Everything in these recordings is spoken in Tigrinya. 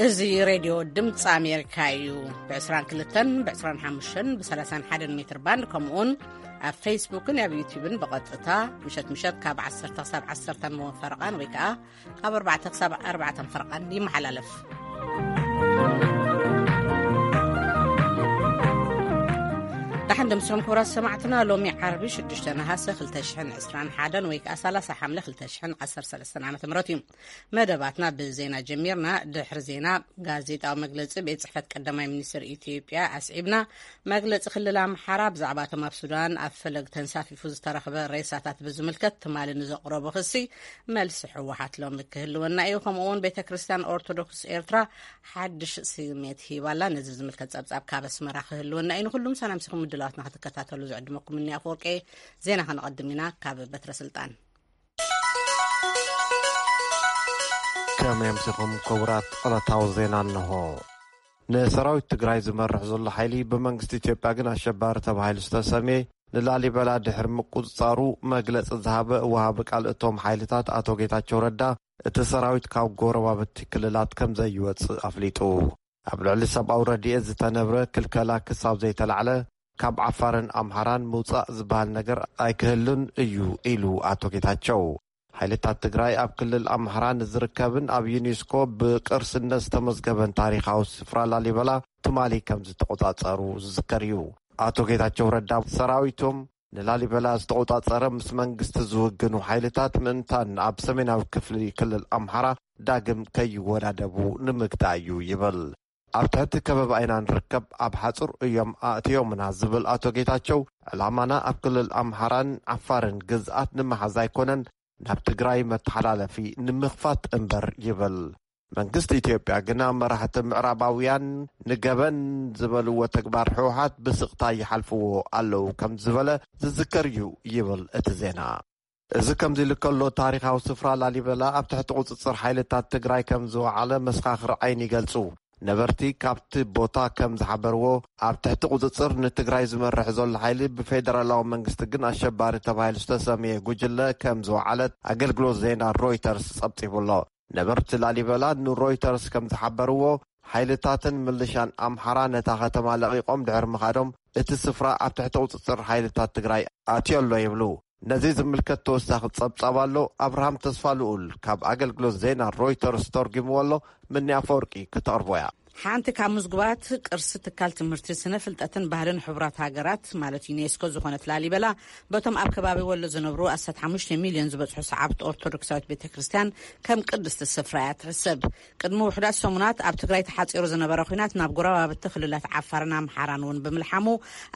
እዚ ሬድዮ ድምፂ ኣሜሪካ እዩ። ብ22፣ ብ25፣ ብ31 ሜትር ባንድ፣ ከምኡውን ኣብ ፌስቡክን ኣብ ዩቲዩብን ብቐጥታ ምሸት ምሸት ካብ ዓሰርተ ክሳብ ዓሰርተ ፈረቓን ወይ ከዓ ካብ ኣርባዕተ ክሳብ ኣርባዕተ ፈረቓን ይመሓላለፍ። ደሓን ደምስኹም ክቡራት ሰማዕትና። ሎሚ ዓርቢ ሽዱሽተ ነሃሰ ክልተ ሽሕን ዕስራን ሓደን ወይ ከዓ ሰላሳ ሓምለ ክልተ ሽሕን ዓሰርተ ሰለስተን ዓመተ ምህረት እዩ። መደባትና ብዜና ጀሚርና። ድሕሪ ዜና ጋዜጣዊ መግለጺ ቤት ጽሕፈት ቀዳማይ ሚኒስትር ኢትዮጵያ ኣስዒብና። መግለጺ ክልል ኣምሓራ ብዛዕባ እቶም ኣብ ሱዳን ኣብ ፈለግ ተንሳፊፉ ዝተረኽበ ሬሳታት ብዝምልከት ትማሊ ንዘቕረቦ ክሲ መልሲ ህወሓት ሎሚ ክህልወና እዩ። ከምኡ እውን ቤተ ክርስቲያን ኦርቶዶክስ ኤርትራ ሓድሽ ስሜት ሂባላ። ነዚ ዝምልከት ጸብጻብ ካብ ኣስመራ ክህልወና እዩ። ንኩሉም ሰላም ሲኹም ምድላዋትና ክትከታተሉ ዝዕድመኩም እኒ ኣፈወርቂ። ዜና ከነቐድም ኢና ካብ በትረ ስልጣን። ከመይ ኣምሲኹም ክቡራት? ዕለታዊ ዜና እንሆ። ንሰራዊት ትግራይ ዝመርሕ ዘሎ ሓይሊ ብመንግስቲ ኢትዮጵያ ግን ኣሸባሪ ተባሂሉ ዝተሰምየ ንላሊበላ ድሕሪ ምቁጽጻሩ መግለጺ ዝሃበ ወሃቢ ቃል እቶም ሓይልታት ኣቶ ጌታቸው ረዳ፣ እቲ ሰራዊት ካብ ጎረባብቲ ክልላት ከም ዘይወጽእ ኣፍሊጡ። ኣብ ልዕሊ ሰብኣዊ ረድኤት ዝተነብረ ክልከላ ክሳብ ዘይተላዕለ፣ ካብ ዓፋርን ኣምሓራን ምውጻእ ዝበሃል ነገር ኣይክህሉን እዩ ኢሉ ኣቶ ጌታቸው። ሓይልታት ትግራይ ኣብ ክልል ኣምሓራ ንዝርከብን ኣብ ዩኔስኮ ብቅርስነት ዝተመዝገበን ታሪኻዊ ስፍራ ላሊበላ ትማሊ ከም ዝተቆጻጸሩ ዝዝከር እዩ። ኣቶ ጌታቸው ረዳ፣ ሰራዊቶም ንላሊበላ ዝተቆጻጸረ ምስ መንግስቲ ዝውግኑ ሓይልታት ምእንታን ኣብ ሰሜናዊ ክፍሊ ክልል ኣምሓራ ዳግም ከይወዳደቡ ንምግታእ እዩ ይብል። ኣብ ትሕቲ ከበባ ኢና ንርከብ፣ ኣብ ሓጹር እዮም ኣእትዮምና ዝብል ኣቶ ጌታቸው፣ ዕላማና ኣብ ክልል ኣምሓራን ዓፋርን ግዝኣት ንምሓዝ ኣይኮነን፣ ናብ ትግራይ መተሓላለፊ ንምኽፋት እምበር ይብል። መንግስቲ ኢትዮጵያ ግና መራሕቲ ምዕራባውያን ንገበን ዝበልዎ ተግባር ህወሓት ብስቕታ ይሓልፍዎ ኣለዉ ከም ዝበለ ዝዝከር እዩ ይብል እቲ ዜና። እዚ ከምዚ ኢሉ ከሎ፣ ታሪኻዊ ስፍራ ላሊበላ ኣብ ትሕቲ ቁጽጽር ሓይልታት ትግራይ ከም ዝወዓለ መሰኻኽር ዓይኒ ይገልጹ። ነበርቲ ካብቲ ቦታ ከም ዝሓበርዎ፣ ኣብ ትሕቲ ቁጽጽር ንትግራይ ዝመርሕ ዘሎ ሓይሊ ብፌደራላዊ መንግስቲ ግን ኣሸባሪ ተባሂሉ ዝተሰምየ ጉጅለ ከም ዝወዓለት ኣገልግሎት ዜና ሮይተርስ ጸብጺቡ ኣሎ። ነበርቲ ላሊበላ ንሮይተርስ ከም ዝሓበርዎ፣ ሓይልታትን ምልሻን ኣምሓራ ነታ ከተማ ለቒቖም ድሕሪ ምኻዶም፣ እቲ ስፍራ ኣብ ትሕቲ ቁጽጽር ሓይልታት ትግራይ ኣትዮ ኣሎ ይብሉ። ነዚ ዝምልከት ተወሳኺ ጸብጻብ ኣሎ። ኣብርሃም ተስፋ ልኡል ካብ ኣገልግሎት ዜና ሮይተርስ ተርጒምዎ ኣሎ። ምኒ ኣፈወርቂ ክተቕርቦ እያ። ሓንቲ ካብ ምዝጉባት ቅርሲ ትካል ትምህርቲ፣ ስነ ፍልጠትን ባህልን ሕቡራት ሃገራት ማለት ዩኔስኮ ዝኾነት ላሊበላ፣ በቶም ኣብ ከባቢ ወሎ ዝነብሩ ኣስታት ሓሙሽተ ሚልዮን ዝበጽሑ ሰዓብቲ ኦርቶዶክሳዊት ቤተ ክርስቲያን ከም ቅድስቲ ስፍራ እያ ትሕሰብ። ቅድሚ ውሑዳት ሰሙናት ኣብ ትግራይ ተሓጺሩ ዝነበረ ኲናት ናብ ጎረባብቲ ክልላት ዓፋርን ኣምሓራን እውን ብምልሓሙ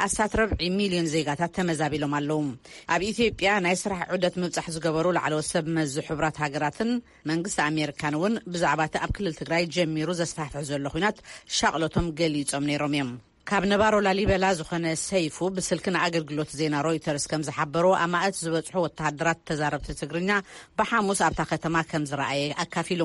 ኣስታት ረብዒ ሚልዮን ዜጋታት ተመዛቢሎም ኣለዉ። ኣብ ኢትዮጵያ ናይ ስራሕ ዑደት ምብጻሕ ዝገበሩ ላዕለዎት ሰብ መዚ ሕቡራት ሃገራትን መንግስቲ ኣሜሪካን እውን ብዛዕባ እቲ ኣብ ክልል ትግራይ ጀሚሩ ዘስፋሕፍሕ ዘሎ ኲናት ሻቕሎቶም ገሊጾም ነይሮም እዮም። ካብ ነባሮ ላሊበላ ዝኾነ ሰይፉ ብስልኪ ንኣገልግሎት ዜና ሮይተርስ ከም ዝሓበሮ፣ ኣማእት ዝበጽሑ ወተሃደራት ተዛረብቲ ትግርኛ ብሓሙስ ኣብታ ከተማ ከም ዝረኣየ ኣካፊሉ።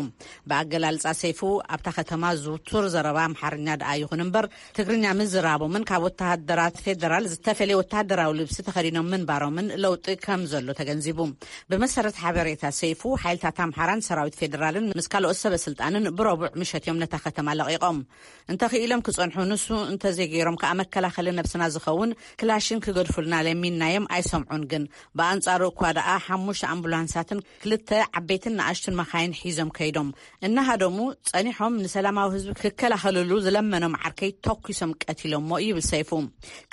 ብኣገላልጻ ሰይፉ፣ ኣብታ ከተማ ዝውቱር ዘረባ ኣምሓርኛ ደኣ ይኹን እምበር፣ ትግርኛ ምዝራቦምን ካብ ወተሃደራት ፌደራል ዝተፈለየ ወተሃደራዊ ልብሲ ተኸዲኖም ምንባሮምን ለውጢ ከም ዘሎ ተገንዚቡ። ብመሰረት ሓበሬታ ሰይፉ፣ ሓይልታት ኣምሓራን ሰራዊት ፌደራልን ምስ ካልኦት ሰበ ስልጣንን ብረቡዕ ምሸት እዮም ነታ ከተማ ለቒቖም። እንተኽኢሎም ክጸንሑ፣ ንሱ እንተዘይገይሮም ከኣ መከላኸሊ ነብስና ዝኸውን ክላሽን ክገድፉልና ለሚንናዮም ኣይሰምዑን። ግን ብኣንጻሩ እኳ ደኣ ሓሙሽተ ኣምቡላንሳትን ክልተ ዓበይትን ንኣሽቱን መኻይን ሒዞም ከይዶም እናሃደሙ ጸኒሖም ንሰላማዊ ህዝቢ ክከላኸልሉ ዝለመኖም ዓርከይ ተኩሶም ቀቲሎሞ ይብል ሰይፉ።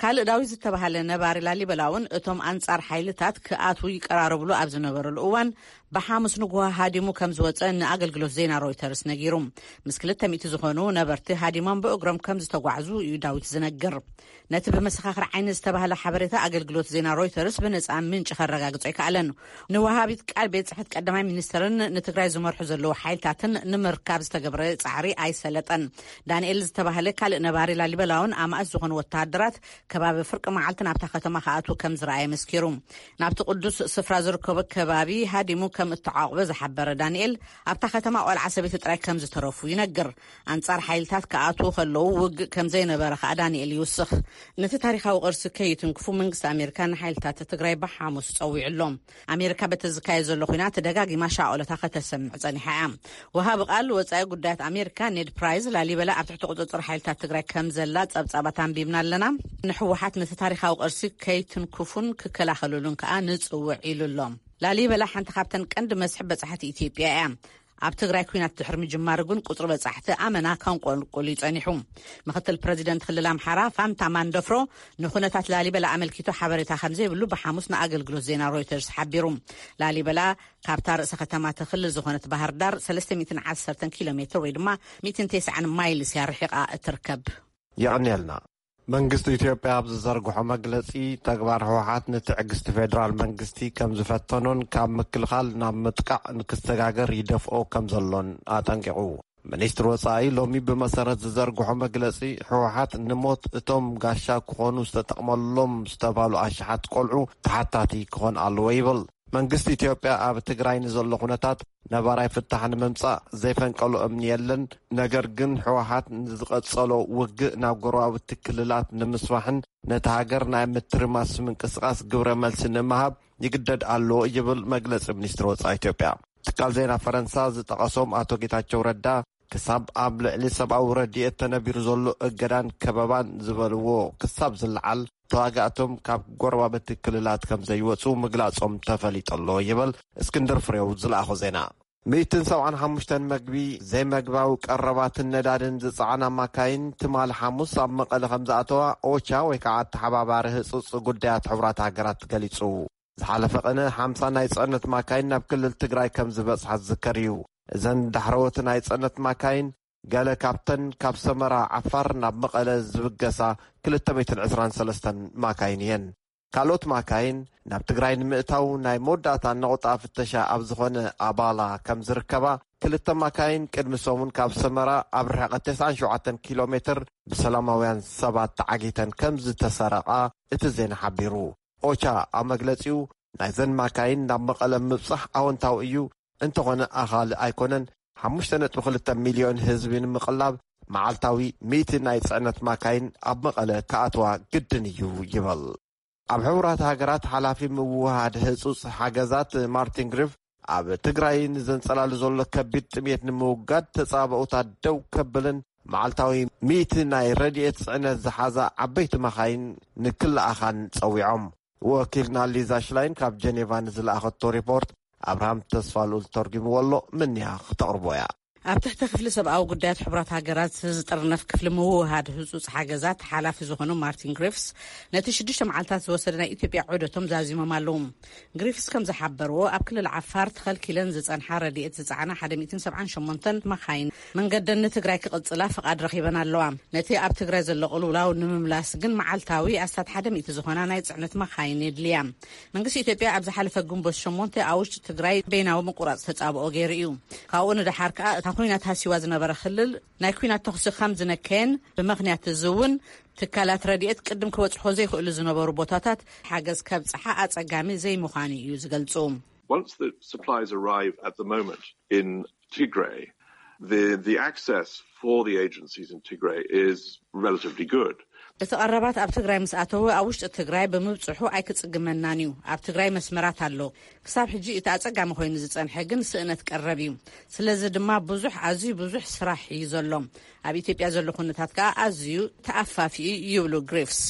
ካልእ ዳዊት ዝተባሃለ ነባሪ ላሊበላ እውን እቶም ኣንጻር ሓይልታት ክኣትዉ ይቀራረብሉ ኣብ ዝነበረሉ እዋን ብሓሙስ ንግሆ ሃዲሙ ከም ዝወጸ ንኣገልግሎት ዜና ሮይተርስ ነጊሩ። ምስ ክልተ ሚእቲ ዝኾኑ ነበርቲ ሃዲሞም ብእግሮም ከም ዝተጓዕዙ እዩ ዳዊት ዝነግር። ነቲ ብመሰኻኽር ዓይኒ ዝተባህለ ሓበሬታ ኣገልግሎት ዜና ሮይተርስ ብነጻ ምንጪ ከረጋግጾ ኣይከኣለን። ንወሃቢት ቃል ቤት ጽሕፈት ቀዳማይ ሚኒስትርን ንትግራይ ዝመርሑ ዘለዉ ሓይልታትን ንምርካብ ዝተገብረ ጻዕሪ ኣይሰለጠን። ዳንኤል ዝተባህለ ካልእ ነባሪ ላሊበላውን ኣማእት ዝኾኑ ወተሃደራት ከባቢ ፍርቂ መዓልቲ ናብታ ከተማ ክኣትዉ ከም ዝረኣየ መስኪሩ። ናብቲ ቅዱስ ስፍራ ዝርከቦ ከባቢ ሃዲሙ ከም እተዓቑበ ዝሓበረ ዳንኤል፣ ኣብታ ከተማ ቆልዓ ሰበይቲ ጥራይ ከም ዝተረፉ ይነግር። ኣንጻር ሓይልታት ክኣትዉ ከለዉ ውግእ ከም ዘይነበረ ከኣ ዳንኤል ይውስኽ። ነቲ ታሪኻዊ ቅርሲ ከይትንክፉ መንግስቲ ኣሜሪካ ንሓይልታት ትግራይ ብሓሙስ ጸዊዑ ኣሎ። ኣሜሪካ በቲ ዝካየድ ዘሎ ኲናት ደጋጊማ ሻቐሎታ ከተሰምዕ ጸኒሓ እያ። ወሃቢ ቃል ወጻኢ ጉዳያት ኣሜሪካ ኔድ ፕራይዝ፣ ላሊበላ ኣብ ትሕቲ ቁጽጽር ሓይልታት ትግራይ ከም ዘላ ጸብጻባት ኣንቢብና ኣለና። ንህወሓት ነቲ ታሪኻዊ ቅርሲ ከይትንክፉን ክከላኸሉሉን ከኣ ንጽውዕ ኢሉ ኣሎ። ላሊበላ ሓንቲ ካብተን ቀንዲ መስሕብ በጻሕቲ ኢትዮጵያ እያ። ኣብ ትግራይ ኲናት ድሕሪ ምጅማሩ ግን ቁጽሪ በጻሕቲ ኣመና ከንቆልቁል እዩ ጸኒሑ። ምክትል ፕረዚደንት ክልል ኣምሓራ ፋንታ ማንደፍሮ ንኹነታት ላሊበላ ኣመልኪቱ ሓበሬታ ከም ዘይብሉ ብሓሙስ ንኣገልግሎት ዜና ሮይተርስ ሓቢሩ። ላሊበላ ካብታ ርእሰ ከተማ እቲ ክልል ዝኾነት ባህር ዳር ሰለስተ ሚእትን ዓሰርተን ኪሎ ሜትር ወይ ድማ ሚእትን ተስዓን ማይልስ እያ ርሒቓ እትርከብ። የቐንየልና። መንግስቲ ኢትዮጵያ ኣብ ዝዘርግሖ መግለጺ፣ ተግባር ህወሓት ንትዕግስቲ ፌደራል መንግስቲ ከም ዝፈተኖን ካብ ምክልኻል ናብ ምጥቃዕ ንክሰጋገር ይደፍኦ ከም ዘሎን ኣጠንቂቑ። ሚኒስትሪ ወጻኢ ሎሚ ብመሰረት ዝዘርግሖ መግለጺ፣ ህወሓት ንሞት እቶም ጋሻ ክኾኑ ዝተጠቕመሎም ዝተባሉ ኣሽሓት ቆልዑ ተሓታቲ ክኾን ኣለዎ ይብል። መንግስቲ ኢትዮጵያ ኣብ ትግራይ ንዘሎ ኩነታት ነባራይ ፍታሕ ንምምጻእ ዘይፈንቀሎ እምኒ የለን። ነገር ግን ህወሓት ንዝቐጸሎ ውግእ ናብ ጎረባብቲ ክልላት ንምስፋሕን ነቲ ሃገር ናይ ምትርማስ ምንቅስቃስ ግብረ መልሲ ንምሃብ ይግደድ ኣሎ ይብል መግለጺ ሚኒስትሪ ወጻኢ ኢትዮጵያ። ትካል ዜና ፈረንሳ ዝጠቐሶም ኣቶ ጌታቸው ረዳ፣ ክሳብ ኣብ ልዕሊ ሰብኣዊ ረድኤት ተነቢሩ ዘሎ እገዳን ከበባን ዝበልዎ ክሳብ ዝለዓል፣ ተዋጋእቶም ካብ ጎረባብቲ ክልላት ከም ዘይወጹ ምግላጾም ተፈሊጡ ኣሎ ይብል እስክንድር ፍሬው ዝለኣኾ ዜና። ሚእትን ሰብዓን ሓሙሽተን መግቢ፣ ዘይመግባዊ ቀረባትን ነዳድን ዝጸዓና ማካይን ትማሊ ሓሙስ ኣብ መቐለ ከም ዝኣተዋ ኦቻ ወይ ከዓ ኣተሓባባሪ ህጹጽ ጉዳያት ሕቡራት ሃገራት ገሊጹ። ዝሓለፈ ቅነ ሓምሳ ናይ ጽዕነት ማካይን ናብ ክልል ትግራይ ከም ዝበጽሓ ዝዝከር እዩ። እዘን ዳሕረዎት ናይ ጽዕነት ማካይን ገለ ካብተን ካብ ሰመራ ዓፋር ናብ መቐለ ዝብገሳ ክልተ ሚእትን ዕስራን ሰለስተን ማካይን እየን። ካልኦት ማካይን ናብ ትግራይ ንምእታው ናይ መወዳእታ ነቑጣ ፍተሻ ኣብ ዝኾነ ኣባላ ከም ዝርከባ፣ ክልተ ማካይን ቅድሚ ሰሙን ካብ ሰመራ ኣብ ርሕቐት ተስዓን ሸውዓተን ኪሎ ሜትር ብሰላማውያን ሰባት ተዓጊተን ከም ዝተሰረቓ እቲ ዜና ሓቢሩ። ኦቻ ኣብ መግለጺኡ፣ ናይዘን ማካይን ናብ መቐለ ምብጻሕ ኣወንታዊ እዩ፣ እንተኾነ ኣኻሊ ኣይኮነን። ሓሙሽተ ነጥቢ ክልተ ሚልዮን ህዝቢ ንምቕላብ መዓልታዊ ሚእቲ ናይ ጽዕነት ማካይን ኣብ መቐለ ክኣትዋ ግድን እዩ ይበል። ኣብ ሕቡራት ሃገራት ሓላፊ ምውሃድ ህጹጽ ሓገዛት ማርቲን ግሪፍ፣ ኣብ ትግራይ ንዘንጸላሉ ዘሎ ከቢድ ጥሜት ንምውጋድ ተጻባኦታት ደው ከብልን መዓልታዊ ሚእቲ ናይ ረድኤት ጽዕነት ዝሓዛ ዓበይቲ መኻይን ንክለኣኻን ጸዊዖም። ወኪልና ሊዛ ሽላይን ካብ ጀኔቫ ንዝለኣኸቶ ሪፖርት ኣብርሃም ተስፋልኡል ተርጉምዎ ኣሎ፣ ምንያ ክተቕርቦ እያ። ኣብ ትሕቲ ክፍሊ ሰብኣዊ ጉዳያት ሕቡራት ሃገራት ዝጥርነፍ ክፍሊ ምውህሃድ ህጹጽ ሓገዛት ሓላፊ ዝኾኑ ማርቲን ግሪፍስ፣ ነቲ ሽዱሽተ መዓልታት ዝወሰደ ናይ ኢትዮጵያ ዑደቶም ዛዚሞም ኣለዉ። ግሪፍስ ከም ዝሓበርዎ፣ ኣብ ክልል ዓፋር ተኸልኪለን ዝጸንሓ ረድኤት ዝጸዓና ሓደ ሚእትን ሰብዓን ሸሞንተን መኻይን መንገደን ንትግራይ ክቕጽላ ፍቓድ ረኺበን ኣለዋ። ነቲ ኣብ ትግራይ ዘሎ ቅልውላው ንምምላስ ግን መዓልታዊ ኣስታት ሓደ ሚእቲ ዝኾና ናይ ጽዕነት መኻይን የድልያ። መንግስቲ ኢትዮጵያ ኣብ ዝሓለፈ ግንቦት ሸሞንተ ኣብ ውሽጢ ትግራይ በይናዊ ምቁራጽ ተጻብኦ ገይሩ እዩ። ካብኡ ንደሓር ከኣ እታ ኲናት ሃሲዋ ዝነበረ ክልል ናይ ኲናት ተኹሲ ከም ዝነከየን፣ ብምኽንያት እዚ እውን ትካላት ረድኤት ቅድም ክበጽሖ ዘይኽእሉ ዝነበሩ ቦታታት ሓገዝ ከብጽሓ ኣጸጋሚ ዘይምዃኑ እዩ ዝገልጹ። Once the supplies arrive at the moment in Tigray, the, the access for the agencies in Tigray is relatively good. እቲ ቀረባት ኣብ ትግራይ ምስ ኣተወ ኣብ ውሽጢ ትግራይ ብምብጽሑ ኣይክጽግመናን እዩ። ኣብ ትግራይ መስመራት ኣሎ። ክሳብ ሕጂ እቲ ኣጸጋሚ ኮይኑ ዝጸንሐ ግን ስእነት ቀረብ እዩ። ስለዚ ድማ ብዙሕ፣ ኣዝዩ ብዙሕ ስራሕ እዩ ዘሎ። ኣብ ኢትዮጵያ ዘሎ ኩነታት ከኣ ኣዝዩ ተኣፋፊ እዩ ይብሉ ግሪፍስ።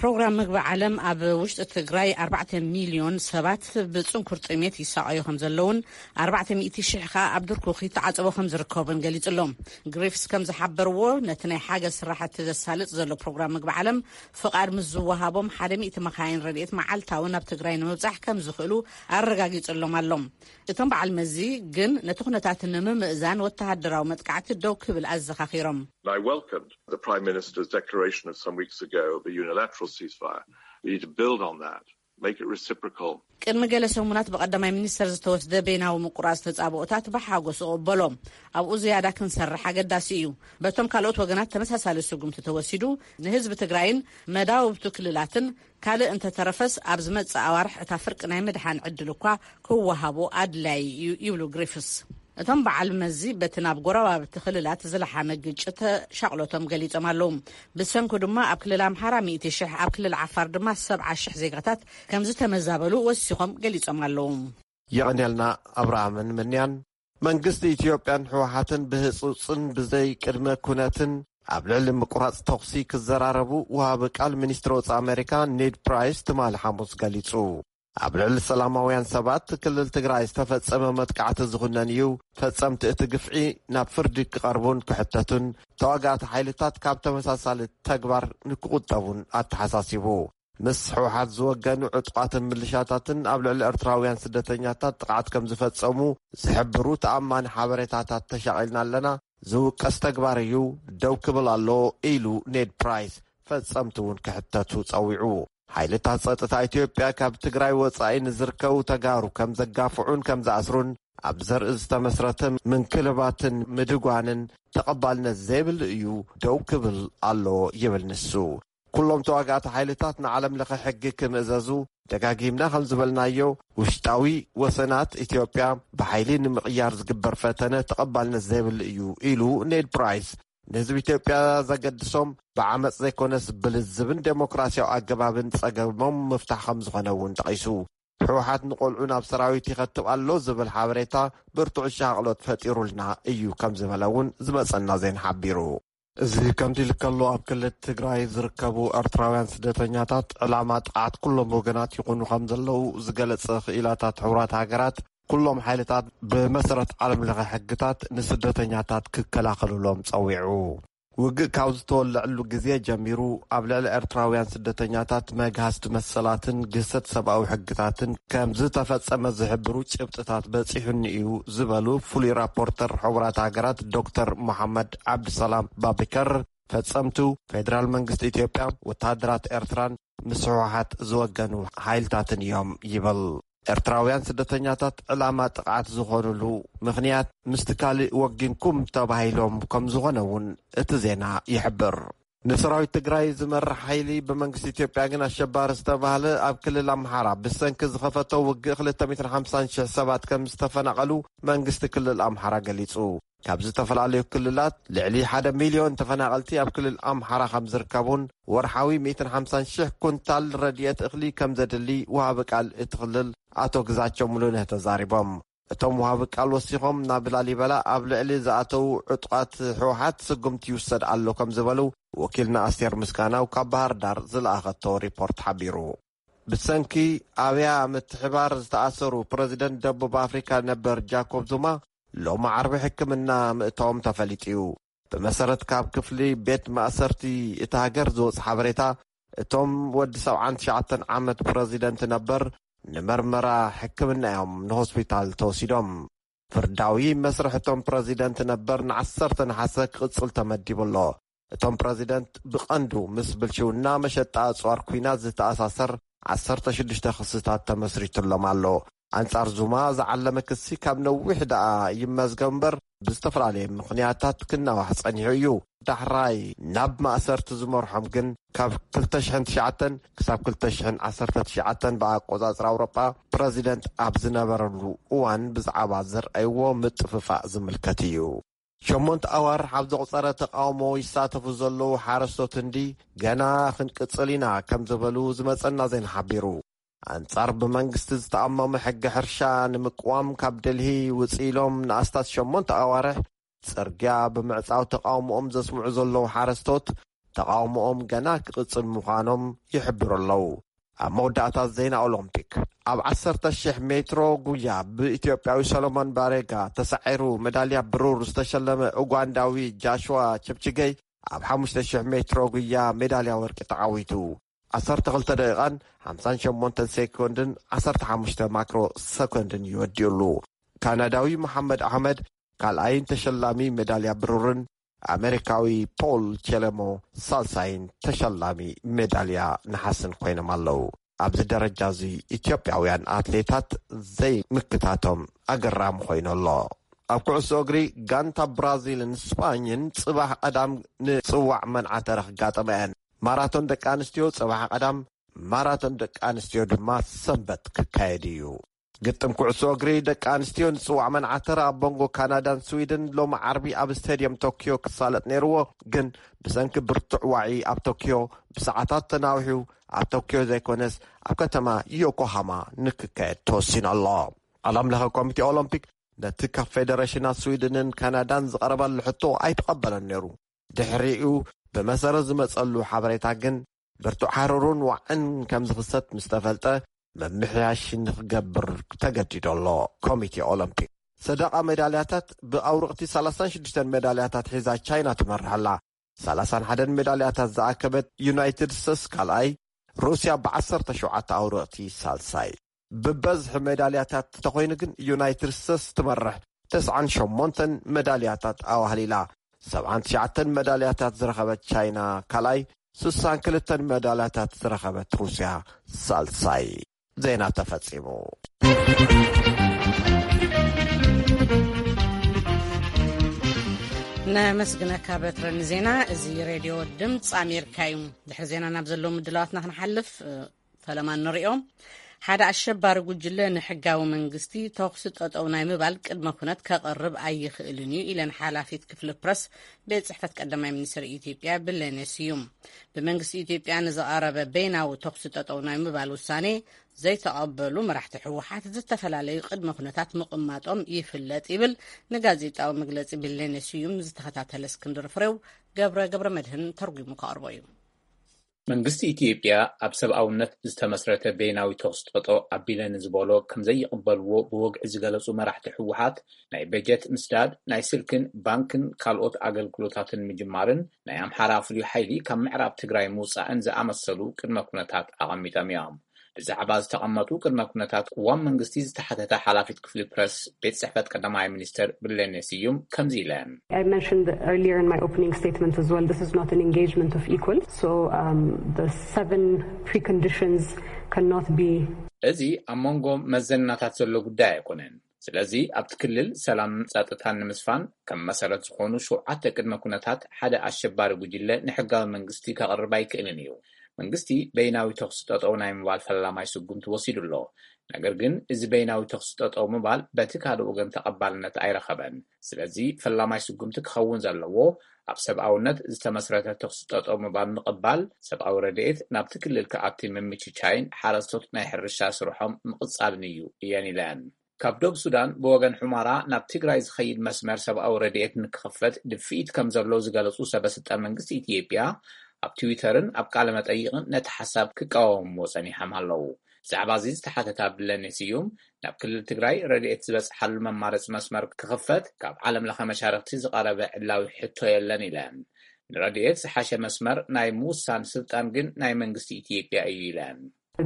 ፕሮግራም ምግቢ ዓለም ኣብ ውሽጢ ትግራይ ኣርባዕተ ሚልዮን ሰባት ብጽንኩር ጥሜት ይሳቐዩ ከም ዘለውን ኣርባዕተ ሚእቲ ሽሕ ከኣ ኣብ ድርኩኺ ተዓጽቦ ከም ዝርከቡን ገሊጹ ኣሎ። ግሪፍስ ከም ዝሓበርዎ፣ ነቲ ናይ ሓገዝ ስራሕቲ ዘሳልጥ ዘሎ ፕሮግራም ምግቢ ዓለም ፍቓድ ምስ ዝወሃቦም ሓደ ሚእቲ መኻይን ረድኤት መዓልታዊ ናብ ትግራይ ንምብጻሕ ከም ዝኽእሉ ኣረጋጊጹሎም ኣሎ። እቶም በዓል መዚ ግን ነቲ ኩነታት ንምምእዛን ወተሃደራዊ መጥቃዕቲ ደው ክብል ኣዘኻኺሮም። I welcomed the Prime Minister's declaration of some weeks ago of a unilateral ceasefire. We need to build on that. make it reciprocal. ቅድሚ ገለ ሰሙናት ብቐዳማይ ሚኒስተር ዝተወስደ በይናዊ ምቁራጽ ተጻብኦታት ብሓጎስ እቕበሎ። ኣብኡ ዝያዳ ክንሰርሕ ኣገዳሲ እዩ። በቶም ካልኦት ወገናት ተመሳሳሊ ስጉምቲ ተወሲዱ፣ ንህዝቢ ትግራይን መዳውብቱ ክልላትን ካልእ እንተተረፈስ ኣብ ዝመጽእ ኣዋርሕ እታ ፍርቂ ናይ ምድሓን ዕድል እኳ ክወሃቦ ኣድላዪ እዩ ይብሉ ግሪፍስ። እቶም በዓል መዚ በቲ ናብ ጎረባብቲ ክልላት ዝለሓመ ግጭት ሻቕሎቶም ገሊጾም ኣለዉ። ብሰንኩ ድማ ኣብ ክልል ኣምሓራ ሚእቲ ሽሕ፣ ኣብ ክልል ዓፋር ድማ ሰብዓ ሽሕ ዜጋታት ከም ዝተመዛበሉ ወሲኾም ገሊጾም ኣለዉ። የቐንየልና። ኣብርሃምን ምንያን መንግስቲ ኢትዮጵያን ህወሓትን ብህፁፅን ብዘይ ቅድመ ኩነትን ኣብ ልዕሊ ምቁራፅ ተኹሲ ክዘራረቡ ውሃቢ ቃል ሚኒስትሪ ወፃኢ ኣሜሪካ ኔድ ፕራይስ ትማሊ ሓሙስ ገሊፁ። ኣብ ልዕሊ ሰላማውያን ሰባት ክልል ትግራይ ዝተፈፀመ መጥቃዕቲ ዝኹነን እዩ። ፈፀምቲ እቲ ግፍዒ ናብ ፍርዲ ክቐርቡን ክሕተቱን፣ ተዋጋእቲ ሓይልታት ካብ ተመሳሳሊ ተግባር ንክቑጠቡን ኣተሓሳሲቡ። ምስ ህወሓት ዝወገኑ ዕጡቓትን ምልሻታትን ኣብ ልዕሊ ኤርትራውያን ስደተኛታት ጥቕዓት ከም ዝፈጸሙ ዝሕብሩ ተኣማኒ ሓበሬታታት ተሻቒልና ኣለና። ዝውቀስ ተግባር እዩ፣ ደው ክብል ኣሎ ኢሉ ኔድ ፕራይስ ፈጸምቲ እውን ክሕተቱ ጸዊዑ። ሓይልታት ጸጥታ ኢትዮጵያ ካብ ትግራይ ወጻኢ ንዝርከቡ ተጋሩ ከም ዘጋፍዑን ከም ዝኣስሩን ኣብ ዘርኢ ዝተመስረተ ምንክልባትን ምድጓንን ተቐባልነት ዘይብል እዩ፣ ደው ክብል ኣሎ ይብል ንሱ። ኩሎም ተዋጋእቲ ሓይልታት ንዓለም ለኸ ሕጊ ክምእዘዙ ደጋጊምና ከም ዝበልናዮ፣ ውሽጣዊ ወሰናት ኢትዮጵያ ብሓይሊ ንምቕያር ዝግበር ፈተነ ተቐባልነት ዘይብሉ እዩ ኢሉ ኔድ ፕራይስ። ንህዝቢ ኢትዮጵያ ዘገድሶም ብዓመፅ ዘይኮነስ ብልዝብን ዴሞክራሲያዊ ኣገባብን ፀገሞም ምፍታሕ ከም ዝኾነ እውን ጠቒሱ። ህወሓት ንቆልዑ ናብ ሰራዊት ይኸትብ ኣሎ ዝብል ሓበሬታ ብርቱዕ ሻቕሎት ፈጢሩልና እዩ ከም ዝበለ እውን ዝመፀና ዜና ሓቢሩ። እዚ ከምዚ ኢሉ ከሎ፣ ኣብ ክልል ትግራይ ዝርከቡ ኤርትራውያን ስደተኛታት ዕላማ ጥቕዓት ኩሎም ወገናት ይኹኑ ከም ዘለዉ ዝገለጸ ክኢላታት ሕቡራት ሃገራት፣ ኩሎም ሓይልታት ብመሰረት ዓለም ለኸ ሕግታት ንስደተኛታት ክከላኸሉሎም ጸዊዑ። ውግእ ካብ ዝተወለዐሉ ግዜ ጀሚሩ ኣብ ልዕሊ ኤርትራውያን ስደተኛታት መግሃስቲ መሰላትን ግህሰት ሰብኣዊ ሕግታትን ከም ዝተፈጸመ ዝሕብሩ ጭብጥታት በጺሑኒ እዩ ዝበሉ ፍሉይ ራፖርተር ሕቡራት ሃገራት ዶክተር መሓመድ ዓብድሰላም ባቢከር፣ ፈጸምቱ ፌደራል መንግስቲ ኢትዮጵያ፣ ወተሃደራት ኤርትራን ምስ ህወሓት ዝወገኑ ሓይልታትን እዮም ይብል። ኤርትራውያን ስደተኛታት ዕላማ ጥቕዓት ዝኾኑሉ ምኽንያት ምስቲ ካልእ ወጊንኩም ተባሂሎም ከም ዝኾነ እውን እቲ ዜና ይሕብር። ንሰራዊት ትግራይ ዝመርሕ ሓይሊ ብመንግስቲ ኢትዮጵያ ግን ኣሸባሪ ዝተባህለ ኣብ ክልል ኣምሓራ ብሰንኪ ዝኸፈቶ ውግእ ክልተ ሚእትን ሓምሳን ሽሕ ሰባት ከም ዝተፈናቐሉ መንግስቲ ክልል ኣምሓራ ገሊጹ። ካብ ዝተፈላለዩ ክልላት ልዕሊ ሓደ ሚልዮን ተፈናቐልቲ ኣብ ክልል ኣምሓራ ከም ዝርከቡን ወርሓዊ ሚእትን ሓምሳን ሽሕ ኩንታል ረድኤት እኽሊ ከም ዘድሊ ወሃቢ ቃል እቲ ክልል ኣቶ ግዛቸው ሙሉነህ ተዛሪቦም። እቶም ወሃቢ ቃል ወሲኾም ናብ ላሊበላ ኣብ ልዕሊ ዝኣተዉ ዕጡቓት ህወሓት ስጉምቲ ይውሰድ ኣሎ ከም ዝበሉ ወኪልና ኣስቴር ምስጋናው ካብ ባህር ዳር ዝለኣኸቶ ሪፖርት ሓቢሩ። ብሰንኪ ኣብያ ምትሕባር ዝተኣሰሩ ፕረዚደንት ደቡብ ኣፍሪካ ነበር ጃኮብ ዙማ ሎሚ ዓርቢ ሕክምና ምእታዎም ተፈሊጡ እዩ። ብመሰረት ካብ ክፍሊ ቤት ማእሰርቲ እቲ ሃገር ዝወፅ ሓበሬታ፣ እቶም ወዲ ሰብዓን ትሽዓተን ዓመት ፕረዚደንት ነበር ንመርመራ ሕክምና እዮም ንሆስፒታል ተወሲዶም። ፍርዳዊ መስርሕ እቶም ፕረዚደንት ነበር ንዓሰርተ ነሓሰ ክቕጽል ተመዲቡ ኣሎ። እቶም ፕረዚደንት ብቐንዱ ምስ ብልሽውና፣ መሸጣ ኣጽዋር ኲናት ዝተኣሳሰር ዓሰርተ ሽዱሽተ ክስታት ተመስሪቱሎም ኣሎ። ኣንጻር ዙማ ዝዓለመ ክሲ ካብ ነዊሕ ደኣ ይመዝገብ እምበር ብዝተፈላለየ ምኽንያታት ክናዋሕ ጸኒሑ እዩ። ዳሕራይ ናብ ማእሰርቲ ዝመርሖም ግን ካብ ክልተ ሽሕን ትሽዓተን ክሳብ ክልተ ሽሕን ዓሰርተ ትሽዓተን ብኣቆጻጽራ ኣውሮጳ ፕረዚደንት ኣብ ዝነበረሉ እዋን ብዛዕባ ዘርኣይዎ ምጥፍፋእ ዝምልከት እዩ። ሸሞንተ ኣዋርሕ ኣብ ዘቑጸረ ተቓውሞ ይሳተፉ ዘለዉ ሓረስቶት ህንዲ፣ ገና ክንቅጽል ኢና ከም ዝበሉ ዝመጸና ዜና ሓቢሩ። ኣንጻር ብመንግስቲ ዝተኣመመ ሕጊ ሕርሻ ንምቅዋም ካብ ደልሂ ውጽእ ኢሎም ንኣስታት ሸሞንተ ኣዋርሕ ጽርግያ ብምዕጻው ተቓውሞኦም ዘስምዑ ዘለዉ ሓረስቶት፣ ተቓውሞኦም ገና ክቕጽል ምዃኖም ይሕብሩ ኣለዉ። ኣብ መወዳእታ ዜና ኦሎምፒክ፣ ኣብ ዓሰርተ ሽሕ ሜትሮ ጉያ ብኢትዮጵያዊ ሰሎሞን ባሬጋ ተሳዒሩ መዳልያ ብሩር ዝተሸለመ ኡጋንዳዊ ጃሽዋ ቸፕችገይ ኣብ ሓሙሽተ ሽሕ ሜትሮ ጉያ ሜዳልያ ወርቂ ተዓዊቱ። ዓሰርተ ክልተ ደቂቓን ሓምሳን ሸሞንተን ሴኮንድን ዓሰርተ ሓሙሽተ ማክሮ ሰኮንድን እዩ ወዲኡሉ። ካናዳዊ መሓመድ ኣሕመድ ካልኣይን ተሸላሚ ሜዳልያ ብሩርን ኣሜሪካዊ ፖል ቸለሞ ሳልሳይን ተሸላሚ ሜዳልያ ነሓስን ኮይኖም ኣለዉ። ኣብዚ ደረጃ እዚ ኢትዮጵያውያን ኣትሌታት ዘይምክታቶም ኣገራሚ ኮይኑ ኣሎ። ኣብ ኩዕሶ እግሪ፣ ጋንታ ብራዚልን ስጳኝን ጽባሕ ቀዳም ንጽዋዕ መንዓተረ ክጋጠማ እየን። ማራቶን ደቂ ኣንስትዮ ጽባሕ ቀዳም፣ ማራቶን ደቂ ኣንስትዮ ድማ ሰንበት ክካየድ እዩ። ግጥም ኩዕሶ እግሪ ደቂ ኣንስትዮ ንጽዋዕ መንዓተረ ኣብ መንጎ ካናዳን ስዊድን ሎሚ ዓርቢ ኣብ ስቴድየም ቶክዮ ክሳለጥ ነይርዎ፣ ግን ብሰንኪ ብርቱዕ ዋዒ ኣብ ቶክዮ ብሰዓታት ተናዊሑ፣ ኣብ ቶክዮ ዘይኮነስ ኣብ ከተማ ዮኮሃማ ንክካየድ ተወሲኑ ኣሎ። ዓለም ለኸ ኮሚቴ ኦሎምፒክ ነቲ ካብ ፌደሬሽናት ስዊድንን ካናዳን ዝቐረበሉ ሕቶ ኣይተቐበለን ነይሩ። ድሕሪኡ ብመሰረት ዝመጸሉ ሓበሬታ ግን ብርቱዕ ሃሩርን ዋዕን ከም ዝኽሰት ምስ ተፈልጠ፣ ምምሕያሽ ንኽገብር ተገዲዱ ኣሎ። ኮሚቴ ኦሎምፒክ ሰደቓ ሜዳልያታት ብኣውርቕቲ ሰላሳን ሽዱሽተን ሜዳልያታት ሒዛ ቻይና ትመርሕ ኣላ። ሰላሳን ሓደን ሜዳልያታት ዝኣከበት ዩናይትድ ስቴትስ ካልኣይ፣ ሩስያ ብዓሰርተ ሸውዓተ ኣውርቕቲ ሳልሳይ። ብበዝሒ ሜዳልያታት እንተኾይኑ ግን ዩናይትድ ስቴትስ ትመርሕ፣ ተስዓን ሸሞንተን ሜዳልያታት ኣዋህሊላ። ሰብዓን ትሽዓተን ሜዳልያታት ዝረኸበት ቻይና ካልኣይ፣ ስሳን ክልተን ሜዳልያታት ዝረኸበት ሩስያ ሳልሳይ። ዜና ተፈጺሙ። ነመስግነካ በትረ ንዜና። እዚ ሬድዮ ድምፂ ኣሜሪካ እዩ። ድሕሪ ዜና ናብ ዘለዉ ምድላዋትና ክንሓልፍ፣ እ፣ ፈለማ ንሪኦ። ሓደ ኣሸባሪ ጉጅለ ንሕጋዊ መንግስቲ ተኹሲ ጠጠው ናይ ምባል ቅድመ ኩነት ከቕርብ ኣይኽእልን እዩ ኢለን ሓላፊት ክፍሊ ፕረስ ቤት ጽሕፈት ቀዳማይ ሚኒስትር ኢትዮጵያ ብለኔ ስዩም። ብመንግስቲ ኢትዮጵያ ንዝቐረበ በይናዊ ተኹሲ ጠጠው ናይ ምባል ውሳኔ ዘይተቐበሉ መራሕቲ ህወሓት ዝተፈላለዩ ቅድመ ኩነታት ምቕማጦም ይፍለጥ ይብል ንጋዜጣዊ መግለጺ ብለኔ ስዩም ዝተኸታተለ እስክንድር ፍሬው ገብረ ገብረ መድህን ተርጉሙ ከቕርቦ እዩ። መንግስቲ ኢትዮጵያ ኣብ ሰብኣውነት ዝተመስረተ በይናዊ ተኹሲ ጠጠው ኣቢለ ንዝበሎ ከም ዘይቕበልዎ ብወግዒ ዝገለጹ መራሕቲ ህወሓት፣ ናይ በጀት ምስዳድ፣ ናይ ስልክን ባንክን ካልኦት ኣገልግሎታትን ምጅማርን ናይ ኣምሓራ ፍሉይ ሓይሊ ካብ ምዕራብ ትግራይ ምውጻእን ዝኣመሰሉ ቅድመ ኩነታት ኣቐሚጦም እዮም። ብዛዕባ ዝተቐመጡ ቅድመ ኩነታት ቅዋም መንግስቲ ዝተሓተተ ሓላፊት ክፍሊ ፕረስ ቤት ጽሕፈት ቀዳማይ ሚኒስትር ብለኔ ስዩም ከምዚ ኢለን። I mentioned earlier in my opening statement as well, this is not an engagement of equals. So, um, the seven preconditions cannot be እዚ ኣብ መንጎ መዘናታት ዘሎ ጉዳይ ኣይኮነን። ስለዚ ኣብቲ ክልል ሰላም ጸጥታን ንምስፋን ከም መሰረት ዝኾኑ ሸውዓተ ቅድመ ኩነታት ሓደ ኣሸባሪ ጉጅለ ንሕጋዊ መንግስቲ ከቕርብ ኣይክእልን እዩ። መንግስቲ በይናዊ ተኹሲ ጠጠው ናይ ምባል ፈላማይ ስጉምቲ ወሲዱ ኣሎ። ነገር ግን እዚ በይናዊ ተኹሲ ጠጠው ምባል በቲ ካልእ ወገን ተቐባልነት ኣይረኸበን። ስለዚ ፈላማይ ስጉምቲ ክኸውን ዘለዎ ኣብ ሰብኣውነት ዝተመስረተ ተኹሲ ጠጠው ምባል ምቕባል፣ ሰብኣዊ ረድኤት ናብቲ ክልል ክኣቲ ምምችቻይን ሓረስቶት ናይ ሕርሻ ስርሖም ምቕጻልን እዩ እየን ኢለን። ካብ ዶብ ሱዳን ብወገን ሑማራ ናብ ትግራይ ዝኸይድ መስመር ሰብኣዊ ረድኤት ንክኽፈት ድፍኢት ከም ዘሎ ዝገለጹ ሰበስልጣን መንግስቲ ኢትዮጵያ ኣብ ትዊተርን ኣብ ቃለ መጠይቕን ነቲ ሓሳብ ክቃወምዎ ጸኒሖም ኣለዉ። ብዛዕባ እዚ ዝተሓተታ ብለኔ ስዩም፣ ናብ ክልል ትግራይ ረድኤት ዝበጽሓሉ መማረፂ መስመር ክኽፈት ካብ ዓለም ለኸ መሻርክቲ ዝቐረበ ዕላዊ ሕቶ የለን ኢለን። ንረድኤት ዝሓሸ መስመር ናይ ምውሳን ስልጣን ግን ናይ መንግስቲ ኢትዮጵያ እዩ ኢለን።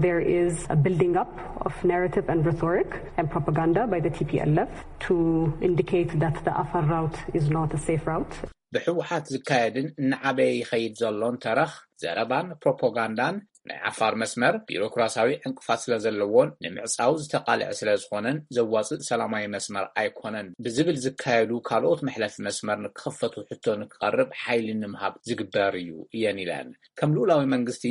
There is a building up of narrative and rhetoric and propaganda by the T P L F to indicate that the Afar route is not a safe route. ብህወሓት ዝካየድን እናዓበየ ይኸይድ ዘሎን ተረኽ፣ ዘረባን ፕሮፓጋንዳን ናይ ዓፋር መስመር ቢሮክራሲያዊ ዕንቅፋት ስለ ዘለዎን ንምዕጻው ዝተቓልዐ ስለ ዝኾነን ዘዋጽእ ሰላማዊ መስመር ኣይኮነን ብዝብል ዝካየዱ ካልኦት መሕለፊ መስመር ንክኽፈቱ ሕቶ ንክቐርብ ሓይሊ ንምሃብ ዝግበር እዩ እየን ኢለን። ከም ልኡላዊ መንግስቲ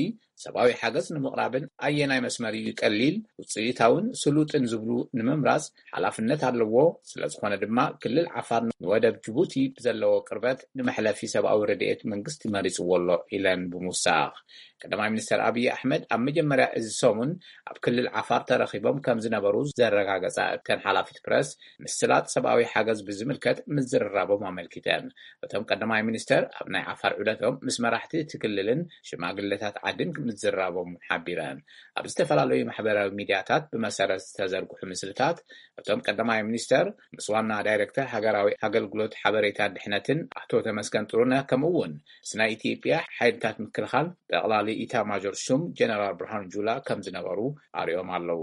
ሰብኣዊ ሓገዝ ንምቕራብን ኣየናይ መስመር እዩ ቀሊል፣ ውፅኢታውን ስሉጥን ዝብሉ ንምምራፅ ሓላፍነት ኣለዎ። ስለ ዝኾነ ድማ ክልል ዓፋር ንወደብ ጅቡቲ ብዘለዎ ቅርበት ንመሕለፊ ሰብኣዊ ረድኤት መንግስቲ መሪፅዎ ኣሎ ኢለን ብምውሳኽ፣ ቀዳማይ ሚኒስትር ኣብይ ኣሕመድ ኣብ መጀመርያ እዚ ሰሙን ኣብ ክልል ዓፋር ተረኺቦም ከም ዝነበሩ ዘረጋገፃ እተን ሓላፊት ፕረስ፣ ምስላጥ ሰብኣዊ ሓገዝ ብዝምልከት ምዝርራቦም ኣመልኪተን። እቶም ቀዳማይ ሚኒስተር ኣብ ናይ ዓፋር ዑደቶም ምስ መራሕቲ እቲ ክልልን ሽማግለታት ዓድን ምዝርራቦም ሓቢረን። ኣብ ዝተፈላለዩ ማሕበራዊ ሚድያታት ብመሰረት ዝተዘርግሑ ምስልታት፣ እቶም ቀዳማይ ሚኒስተር ምስ ዋና ዳይሬክተር ሃገራዊ ኣገልግሎት ሓበሬታን ድሕነትን ኣቶ ተመስገን ጥሩነህ፣ ከምኡ እውን ምስ ናይ ኢትዮጵያ ሓይልታት ምክልኻል ጠቕላሊ ኢታማዦር ሹም ጀነራል ብርሃኑ ጁላ ከም ዝነበሩ ኣርእዮም ኣለዉ።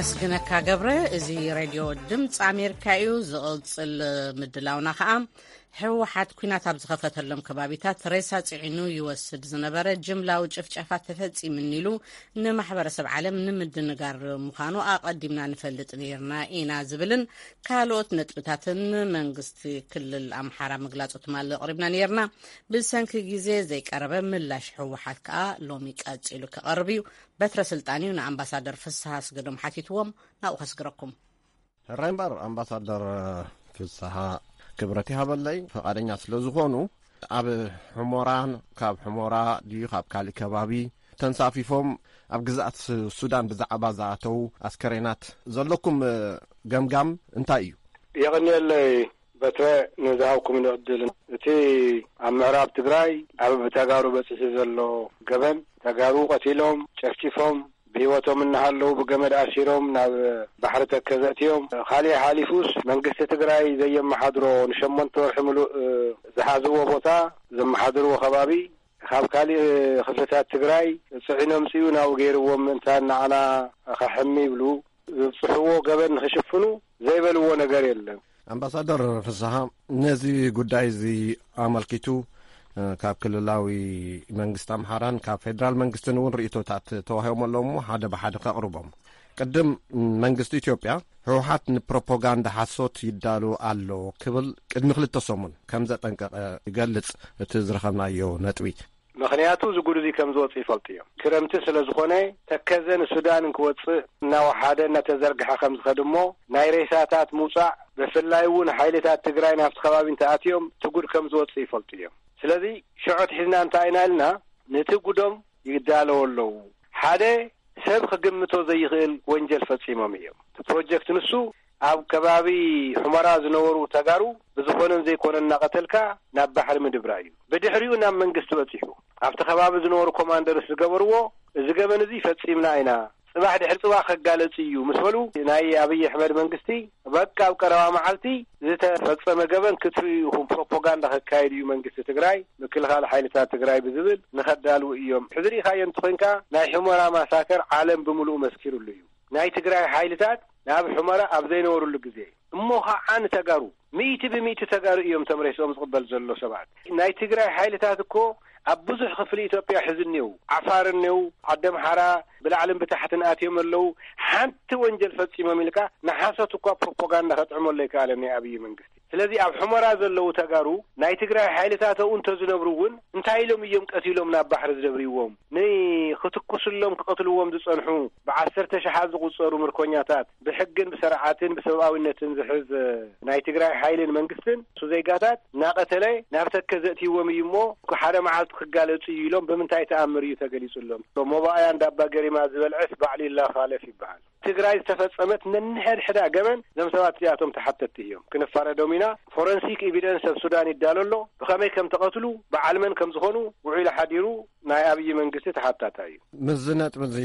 ኣመስግነካ ገብረ። እዚ ሬድዮ ድምፂ ኣሜሪካ እዩ። ዝቕፅል ምድላውና ከዓ፣ ህወሓት ኲናት ኣብ ዝኸፈተሎም ከባቢታት ሬሳ ፅዒኑ ይወስድ ዝነበረ ጅምላዊ ጭፍጨፋ ተፈፂምኒ ኢሉ ንማሕበረሰብ ዓለም ንምድንጋር ምዃኑ ኣቐዲምና ንፈልጥ ነይርና ኢና ዝብልን ካልኦት ነጥብታትን መንግስቲ ክልል ኣምሓራ ምግላፁ ትማሊ ኣቕሪብና ነይርና። ብሰንኪ ግዜ ዘይቀረበ ምላሽ ህወሓት ከዓ ሎሚ ቀፂሉ ክቐርብ እዩ። በትረ ስልጣን እዩ ንኣምባሳደር ፍስሃ ኣስገዶም ሓቲትዎም። ናብኡ ከስግረኩም። ሕራይ እምበር ኣምባሳደር ፍስሃ ክብረት ይሃበለይ፣ ፈቓደኛ ስለ ዝኾኑ፣ ኣብ ሕሞራን ካብ ሕሞራ ድዩ ካብ ካልእ ከባቢ ተንሳፊፎም ኣብ ግዝኣት ሱ- ሱዳን ብዛዕባ ዝኣተው ኣስከሬናት ዘለኩም ገምጋም እንታይ እዩ? የቐንየለይ በትረ ንዝሃብኩም ዕድል። እቲ ኣብ ምዕራብ ትግራይ ኣብ ተጋሩ በፂሑ ዘሎ ገበን፣ ተጋሩ ቀቲሎም ጨፍጭፎም ብህይወቶም እናሃለዉ ብገመድ ኣሲሮም ናብ ባሕሪ ተከዘ እትዮም። ካሊእ ሓሊፉስ መንግስቲ ትግራይ ዘየመሓድሮ ንሸሞንተ ወርሒ ምሉእ ዝሓዝዎ ቦታ ዘመሓድርዎ ከባቢ ካብ ካሊእ ክፍልታት ትግራይ ፅዒኖም ፅኡ ናብኡ ገይርዎም ምእንታን ንዓና ከሕሚ ይብሉ ዝብፅሕዎ ገበን ንክሽፍኑ ዘይበልዎ ነገር የለን። ኣምባሳደር ፍስሃ፣ ነዚ ጉዳይ እዚ ኣመልኪቱ ካብ ክልላዊ መንግስቲ ኣምሓራን ካብ ፌደራል መንግስትን እውን ርእቶታት ተዋሂቦም ኣለዉ እሞ ሓደ ብሓደ ከቕርቦም። ቅድም መንግስቲ ኢትዮጵያ ህወሓት ንፕሮፓጋንዳ ሓሶት ይዳሉ ኣሎ ክብል ቅድሚ ክልተ ሰሙን ከም ዘጠንቀቐ ይገልጽ እቲ ዝረኸብናዮ ነጥቢ። ምኽንያቱ እዚ ጉድ እዚ ከም ዝወፅእ ይፈልጡ እዮም። ክረምቲ ስለ ዝኾነ ተከዘ ንሱዳን እንክወፅእ እናወሓደ እናተዘርግሐ ከም ዝኸድ እሞ ናይ ሬሳታት ምውፃእ ብፍላይ እውን ሓይልታት ትግራይ ናብቲ ከባቢ እንተኣትዮም እቲ ጉድ ከም ዝወፅእ ይፈልጡ እዮም። ስለዚ ሽዖት ሒዝና እንታይ ኢና ኢልና ነቲ ጉዶም ይዳለዎ ኣለዉ። ሓደ ሰብ ክግምቶ ዘይኽእል ወንጀል ፈፂሞም እዮም። እቲ ፕሮጀክት ንሱ ኣብ ከባቢ ሑመራ ዝነበሩ ተጋሩ ብዝኾነን ዘይኮነን እናቐተልካ ናብ ባሕሪ ምድብራ እዩ። ብድሕሪኡ ናብ መንግስቲ በፂሑ ኣብቲ ከባቢ ዝነበሩ ኮማንደርስ ዝገበርዎ እዚ ገበን እዚ ፈፂምና ኢና፣ ፅባሕ ድሕሪ ፅባሕ ከጋለፅ እዩ ምስ በሉ ናይ ኣብይ ኣሕመድ መንግስቲ በቃ ኣብ ቀረባ መዓልቲ ዝተፈፀመ ገበን ክትርእዩ ኢኹም፣ ፕሮፓጋንዳ ከካይድ እዩ መንግስቲ ትግራይ፣ ምክልኻል ሓይልታት ትግራይ ብዝብል ንኸዳልዉ እዮም። ሕዚ ርኢኻዮ እንተኾይንካ ናይ ሑመራ ማሳከር ዓለም ብምሉኡ መስኪሩሉ እዩ። ናይ ትግራይ ሓይልታት ናብ ሑመራ ኣብ ዘይነበሩሉ ግዜ እሞ ኸዓ ንተጋሩ ሚእቲ ብሚእቲ ተጋሩ እዮም እቶም ሬስኦም ዝቕበል ዘሎ ሰባት። ናይ ትግራይ ሓይልታት እኮ ኣብ ብዙሕ ክፍሊ ኢትዮጵያ ሕዚ እኒው ዓፋር እኒው ዓዲ ኣምሓራ ብላዕልን ብታሕትን ኣትዮም ኣለዉ። ሓንቲ ወንጀል ፈፂሞም ኢልካ ንሓሶት እኳ ፕሮፓጋንዳ ከጥዕመሉ ኣይከኣለን ናይ ኣብይ መንግስቲ። ስለዚ ኣብ ሑመራ ዘለዉ ተጋሩ ናይ ትግራይ ሓይልታት ኣብኡ እንተዝነብሩ እውን እንታይ ኢሎም እዮም ቀቲሎም ናብ ባሕሪ ዝደብርዎም? ንክትኩስሎም ክቐትልዎም ዝፀንሑ ብዓሰርተ ሸሓት ዝቑፀሩ ምርኮኛታት ብሕግን ብስርዓትን ብሰብኣዊነትን ዝሕዝ ናይ ትግራይ ሓይልን መንግስትን እሱ ዜጋታት እናቐተለ ናብ ተከዘ እትይዎም እዩ እሞ ሓደ መዓልቲ ክጋለፁ እዩ ኢሎም ብምንታይ ተኣምር እዩ ተገሊፁሎም? ሞባኣያ እንዳባ ገሪማ ዝበልዐስ ባዕሉ ይላኻለፍ ይበሃል። ትግራይ ዝተፈፀመት ነንሕድሕዳ ገበን እዞም ሰባት እዚኣቶም ተሓተቲ እዮም። ክንፋረዶም ኢና። ፎረንሲክ ኤቪደንስ ኣብ ሱዳን ይዳሎ ኣሎ። ብኸመይ ከም ተቐትሉ፣ በዓል መን ከም ዝኾኑ ውዒሉ ሓዲሩ ናይ ኣብይ መንግስቲ ተሓታታይ እዩ። ምስዚ ነጥቢ እዚ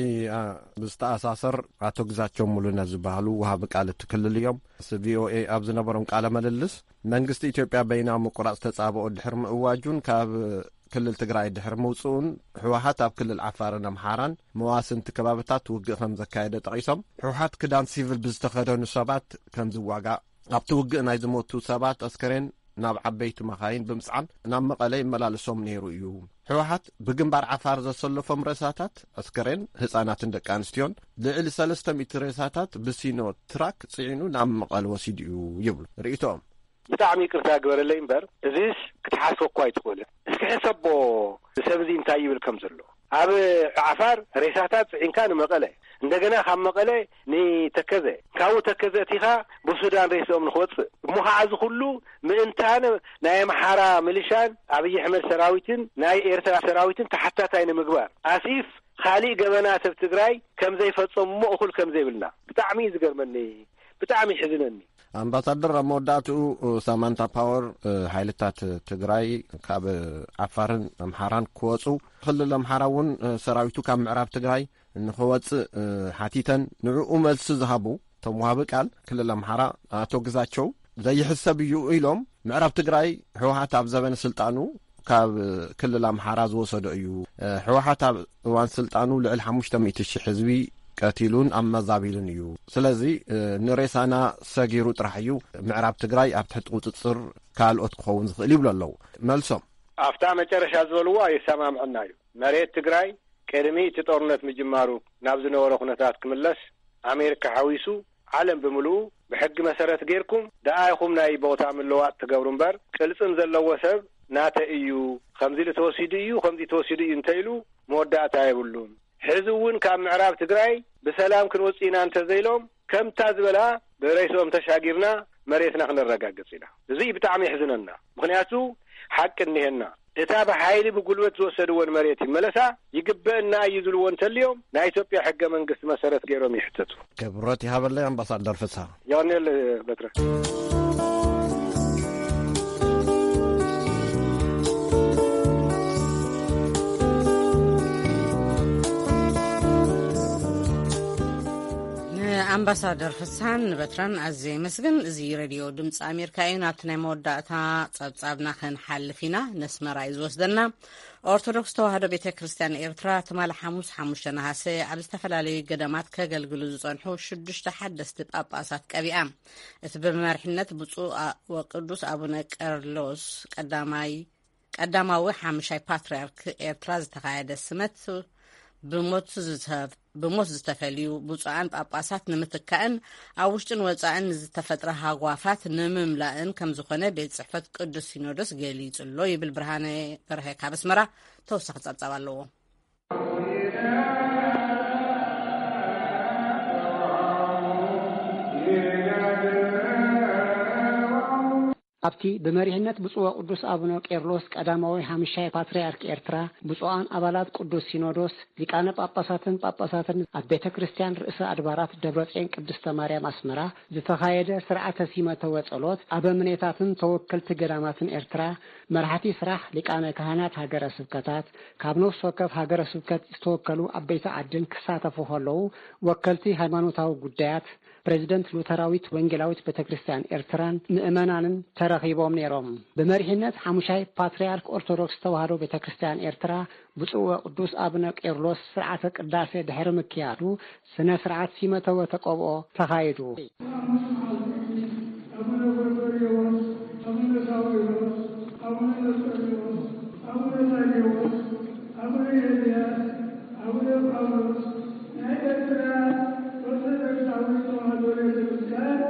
ብዝተኣሳሰር ኣቶ ግዛቸው ሙሉነ ዝበሃሉ ወሃቢ ቃል እቲ ክልል እዮም። ምስ ቪኦኤ ኣብ ዝነበሮም ቃለ ምልልስ መንግስቲ ኢትዮጵያ በይናዊ ምቁራፅ ተፃብኦ ድሕሪ ምእዋጁን ካብ ክልል ትግራይ ድሕሪ ምውፅኡን ህወሓት ኣብ ክልል ዓፋርን ኣምሓራን መዋስንቲ ከባብታት ውግእ ከም ዘካየደ ጠቒሶም፣ ህወሓት ክዳን ሲቪል ብዝተኸደኑ ሰባት ከም ዝዋጋእ፣ ኣብቲ ውግእ ናይ ዝሞቱ ሰባት ኣስከሬን ናብ ዓበይቲ መኻይን ብምጽዓን ናብ መቐለ ይመላልሶም ነይሩ እዩ። ህወሓት ብግንባር ዓፋር ዘሰለፎም ሬሳታት ኣስከሬን ህጻናትን ደቂ ኣንስትዮን ልዕሊ ሰለስተ ሚእቲ ሬሳታት ብሲኖ ትራክ ጽዒኑ ናብ መቐለ ወሲዱ እዩ ይብሉ ርእይቶኦም። ብጣዕሚ ይቅርታ ግበረለይ እምበር እዚስ ክትሓስቦ እኳ ኣይትኽእልን። እስኪ ሕሰቦ ሰብ እዚ እንታይ ይብል ከም ዘሎ። ኣብ ዓፋር ሬሳታት ጽዒንካ ንመቐለ፣ እንደገና ካብ መቐለ ንተከዘ፣ ካብኡ ተከዘ እቲኻ ብሱዳን ሬስኦም ንክወፅእ እሞ ከዓ እዚ ኩሉ ምእንታን ናይ ኣምሓራ ሚሊሻን ኣብይ ኣሕመድ ሰራዊትን ናይ ኤርትራ ሰራዊትን ተሓታታይ ንምግባር ኣሲፍ ካሊእ ገበናት ኣብ ትግራይ ከም ዘይፈፀሙ እሞ እኹል ከም ዘይብልና ብጣዕሚ እዩ ዝገርመኒ፣ ብጣዕሚ ይሕዝነኒ። ኣምባሳደር፣ ኣብ መወዳእትኡ ሳማንታ ፓወር ሓይልታት ትግራይ ካብ ዓፋርን ኣምሓራን ክወፁ፣ ክልል ኣምሓራ እውን ሰራዊቱ ካብ ምዕራብ ትግራይ ንኽወፅእ ሓቲተን ንዕኡ መልሲ ዝሃቡ እቶም ወሃቢ ቃል ክልል ኣምሓራ ኣቶ ግዛቸው ዘይሕሰብ እዩ ኢሎም፣ ምዕራብ ትግራይ ህወሓት ኣብ ዘበነ ስልጣኑ ካብ ክልል ኣምሓራ ዝወሰዶ እዩ። ህወሓት ኣብ እዋን ስልጣኑ ልዕሊ ሓሙሽተ ሚእቲ ሺሕ ህዝቢ ቀቲሉን ኣመዛቢሉን እዩ። ስለዚ፣ እ፣ ንሬሳና ሰጊሩ ጥራሕ እዩ ምዕራብ ትግራይ ኣብ ትሕቲ ቁፅፅር ካልኦት ክኸውን ዝኽእል ይብሉ ኣለዉ። መልሶም። ኣብታ መጨረሻ ዝበልዋ የሰማምዐና እዩ። መሬት ትግራይ ቅድሚ እቲ ጦርነት ምጅማሩ ናብ ዝነበረ ኩነታት ክምለስ ኣሜሪካ ሓዊሱ ዓለም ብምልኡ ብሕጊ መሰረት ጌርኩም ደኣ ኢኹም ናይ ቦታ ምልዋጥ ትገብሩ እምበር፣ ቅልጽም ዘለዎ ሰብ ናተ እዩ፣ ከምዚ ኢሉ ተወሲዱ እዩ፣ ከምዚ ተወሲዱ እዩ እንተ ኢሉ መወዳእታ የብሉን። ሕዚ እውን ካብ ምዕራብ ትግራይ ብሰላም ክንወጽእ ኢና እንተ ዘይሎም፣ ከምታ ዝበላ ብሬስኦም ተሻጊርና መሬትና ክነረጋግጽ ኢና። እዚ ብጣዕሚ የሕዝነና። ምኽንያቱ ሓቂ እኒሄና። እታ ብሓይሊ ብጉልበት ዝወሰድወን መሬት ይመለሳ፣ ይግበእና እዩ ዝብልዎ እንተልዮም፣ ናይ ኢትዮጵያ ሕገ መንግስቲ መሰረት ገይሮም ይሕተቱ። ክብረት ይሃበለይ ኣምባሳደር ፍስሃ። ዮኔል በትረ። ንኣምባሳደር ፍስሃን ንበትረን ኣዝየ ይመስግን። እዚ ሬድዮ ድምፂ ኣሜሪካ እዩ። ናብቲ ናይ መወዳእታ ጸብጻብና ክንሓልፍ ኢና። ነስመራ እዩ ዝወስደና። ኦርቶዶክስ ተዋህዶ ቤተ ክርስቲያን ኤርትራ ትማሊ ሓሙስ ሓሙሽተ ነሃሰ ኣብ ዝተፈላለዩ ገዳማት ከገልግሉ ዝጸንሑ ሽዱሽተ ሓደስቲ ጳጳሳት ቀቢኣ። እቲ ብመሪሕነት ብፁዕ አ-፣ ወቅዱስ ኣቡነ ቀርሎስ ቀዳማይ፣ ቀዳማዊ ሓሙሻይ ፓትርያርክ ኤርትራ ዝተኻየደ ስመት ብሞት ዝተ-፣ ብሞት ዝተፈልዩ ብፁዓን ጳጳሳት ንምትካእን ኣብ ውሽጥን ወጻእን ንዝተፈጥረ ሃጓፋት ንምምላእን ከም ዝኾነ ቤት ጽሕፈት ቅዱስ ሲኖዶስ ገሊጹ ኣሎ ይብል ብርሃነ በርሀ ካብ ኣስመራ። ተወሳኺ ጸብጻብ ኣለዎ። ኣብቲ ብመሪሕነት ብፁዕ ወቅዱስ ኣቡነ ቄርሎስ ቀዳማዊ ሓሙሻይ ፓትርያርክ ኤርትራ፣ ብፁዓን ኣባላት ቅዱስ ሲኖዶስ፣ ሊቃነ ጳጳሳትን ጳጳሳትን፣ ኣብ ቤተ ክርስቲያን ርእሰ ኣድባራት ደብረጽዮን ቅድስተ ማርያም ኣስመራ ዝተኻየደ ስርዓተ ሲመተ ወጸሎት፣ ኣበምኔታትን ተወከልቲ ገዳማትን ኤርትራ፣ መራሕቲ ስራሕ ሊቃነ ካህናት ሃገረ ስብከታት፣ ካብ ነፍሲ ወከፍ ሃገረ ስብከት ዝተወከሉ ዓበይቲ ዓድን ክሳተፉ ከለዉ፣ ወከልቲ ሃይማኖታዊ ጉዳያት፣ ፕሬዚደንት ሉተራዊት ወንጌላዊት ቤተ ክርስቲያን ኤርትራን ምእመናንን ተረኺቦም ነይሮም። ብመሪሕነት ሓሙሻይ ፓትርያርክ ኦርቶዶክስ ተዋህዶ ቤተ ክርስቲያን ኤርትራ ብፁዕ ወቅዱስ ኣቡነ ቄርሎስ ስርዓተ ቅዳሴ ድሕሪ ምክያዱ ስነ ስርዓት ሲመተ ወተቀብኦ ተኻይዱ። ኣቡነ ጎርጎርዮስ፣ ኣቡነ ሳዊሮስ፣ ኣቡነ መርቆሪዎስ፣ ኣቡነ ታዴዎስ፣ ኣቡነ ኤልያስ፣ ኣቡነ ጳውሎስ ናይ ኤርትራ ኦርቶዶክሳዊት ተዋህዶ ቤተ ክርስቲያን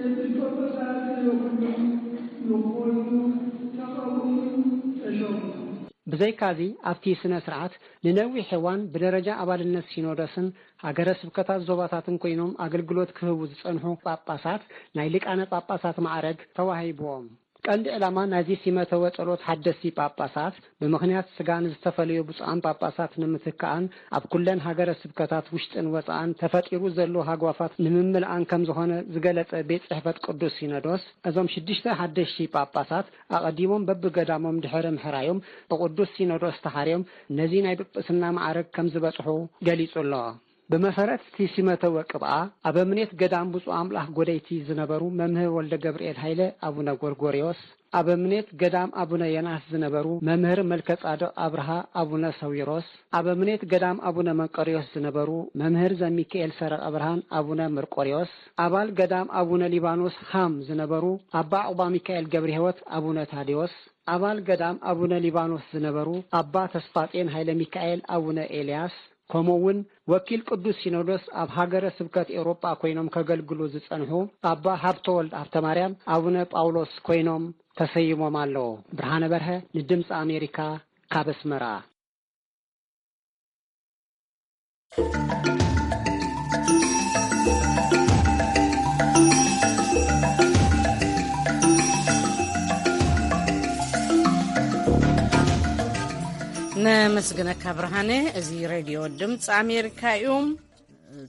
ኤጲስቆጶሳት ይኹኑ ንኾኑ ተቐብኡን ተሾሙ። ብዘይካዚ ኣብቲ ስነ ስርዓት ንነዊሕ እዋን ብደረጃ ኣባልነት ሲኖዶስን ሃገረ ስብከታት ዞባታትን ኮይኖም ኣገልግሎት ክህቡ ዝጸንሑ ጳጳሳት ናይ ሊቃነ ጳጳሳት ማዕረግ ተዋሂብዎም። ቀንዲ ዕላማ ናይዚ ሲመተ ወጸሎት ሓደስቲ ጳጳሳት ብምኽንያት ስጋ ንዝተፈለዩ ብፁዓን ጳጳሳት ንምትካኣን ኣብ ኩለን ሃገረ ስብከታት ውሽጥን ወጻእን ተፈጢሩ ዘሎ ሃጓፋት ንምምልኣን ከም ዝኾነ ዝገለጸ ቤት ጽሕፈት ቅዱስ ሲኖዶስ፣ እዞም ሽዱሽተ ሓደሽቲ ጳጳሳት ኣቐዲሞም በብገዳሞም ድሕሪ ምሕራዮም ብቅዱስ ሲኖዶስ ተሓርዮም ነዚ ናይ ጵጵስና ማዕረግ ከም ዝበጽሑ ገሊጹ ኣሎ። ብመሰረት እቲ ሲመተ ወቅብኣ፣ ኣበምኔት ገዳም ብፁዕ ኣምላኽ ጎደይቲ ዝነበሩ መምህር ወልደ ገብርኤል ሃይለ ኣቡነ ጎርጎርዮስ፣ ኣበምኔት ገዳም ኣቡነ ዮናስ ዝነበሩ መምህር መልከጻድቕ ኣብርሃ ኣቡነ ሰዊሮስ፣ ኣበምኔት ገዳም ኣቡነ መንቀርዮስ ዝነበሩ መምህር ዘሚካኤል ሰረቐ ብርሃን ኣቡነ መርቆርዮስ፣ ኣባል ገዳም ኣቡነ ሊባኖስ ሃም ዝነበሩ ኣባ ዑቕባ ሚካኤል ገብረ ሕይወት ኣቡነ ታዴዎስ፣ ኣባል ገዳም ኣቡነ ሊባኖስ ዝነበሩ ኣባ ተስፋጼን ሃይለ ሚካኤል ኣቡነ ኤልያስ፣ ከምኡ እውን ወኪል ቅዱስ ሲኖዶስ ኣብ ሃገረ ስብከት ኤውሮጳ ኮይኖም ከገልግሉ ዝጸንሑ ኣባ ሃብተወልድ ሃብተማርያም ኣቡነ ጳውሎስ ኮይኖም ተሰይሞም ኣለዉ። ብርሃነ በርሀ ንድምፂ ኣሜሪካ ካብ ኣስመራ። ነመስግነካ ብርሃነ። እዚ ሬድዮ ድምፂ ኣሜሪካ እዩ።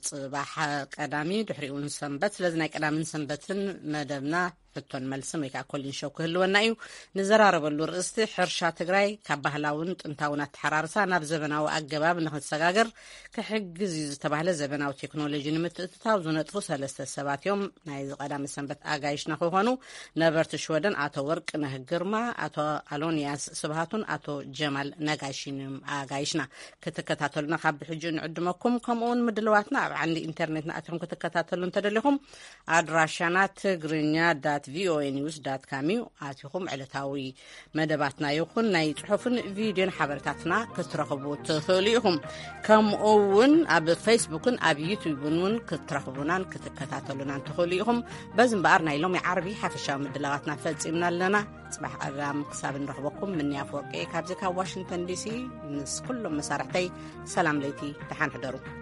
ጽባሕ ቀዳሚ፣ ድሕሪኡ ንሰንበት። ስለዚ ናይ ቀዳምን ሰንበትን መደብና ሕቶን መልስን ወይ ከዓ ኮሊን ሾው ክህልወና እዩ። ንዘራረበሉ ርእስቲ ሕርሻ ትግራይ ካብ ባህላውን ጥንታውን ኣተሓራርሳ ናብ ዘበናዊ ኣገባብ ንክሰጋገር ክሕግዝ እዩ ዝተባህለ ዘበናዊ ቴክኖሎጂ ንምትእትታው ዝነጥፉ ሰለስተ ሰባት እዮም። ናይዚ ቀዳመ ሰንበት ኣጋይሽና ክኾኑ ነበርቲ ሽወደን ኣቶ ወርቅነህ ግርማ፣ ኣቶ ኣሎንያስ ስብሃቱን ኣቶ ጀማል ነጋሽን እዮም ኣጋይሽና። ክትከታተሉና ካብ ብሕጂ ንዕድመኩም። ከምኡውን ምድልዋትና ኣብ ዓንዲ ኢንተርኔትና ኣቲኹም ክትከታተሉ እንተደሊኹም ኣድራሻና ትግርኛ ዳት ቪኦኤ ኒውስ ዳት ካም እዩ። ኣቲኹም ዕለታዊ መደባትና ይኹን ናይ ጽሑፍን ቪድዮን ሓበሬታትና ክትረኽቡ ትኽእሉ ኢኹም። ከምኡ እውን ኣብ ፌስቡክን ኣብ ዩቱብን እውን ክትረኽቡናን ክትከታተሉናን ትኽእሉ ኢኹም። በዚ እምበኣር ናይ ሎሚ ዓርቢ ሓፈሻዊ ምድላዋትና ፈጺምና ኣለና። ጽባሕ ቀዳም ክሳብ እንረኽበኩም ምንያ ኣፈወርቂ ካብዚ ካብ ዋሽንግተን ዲሲ ምስ ኩሎም መሳርሕተይ ሰላም ለይቲ፣ ደሓን ሕደሩ።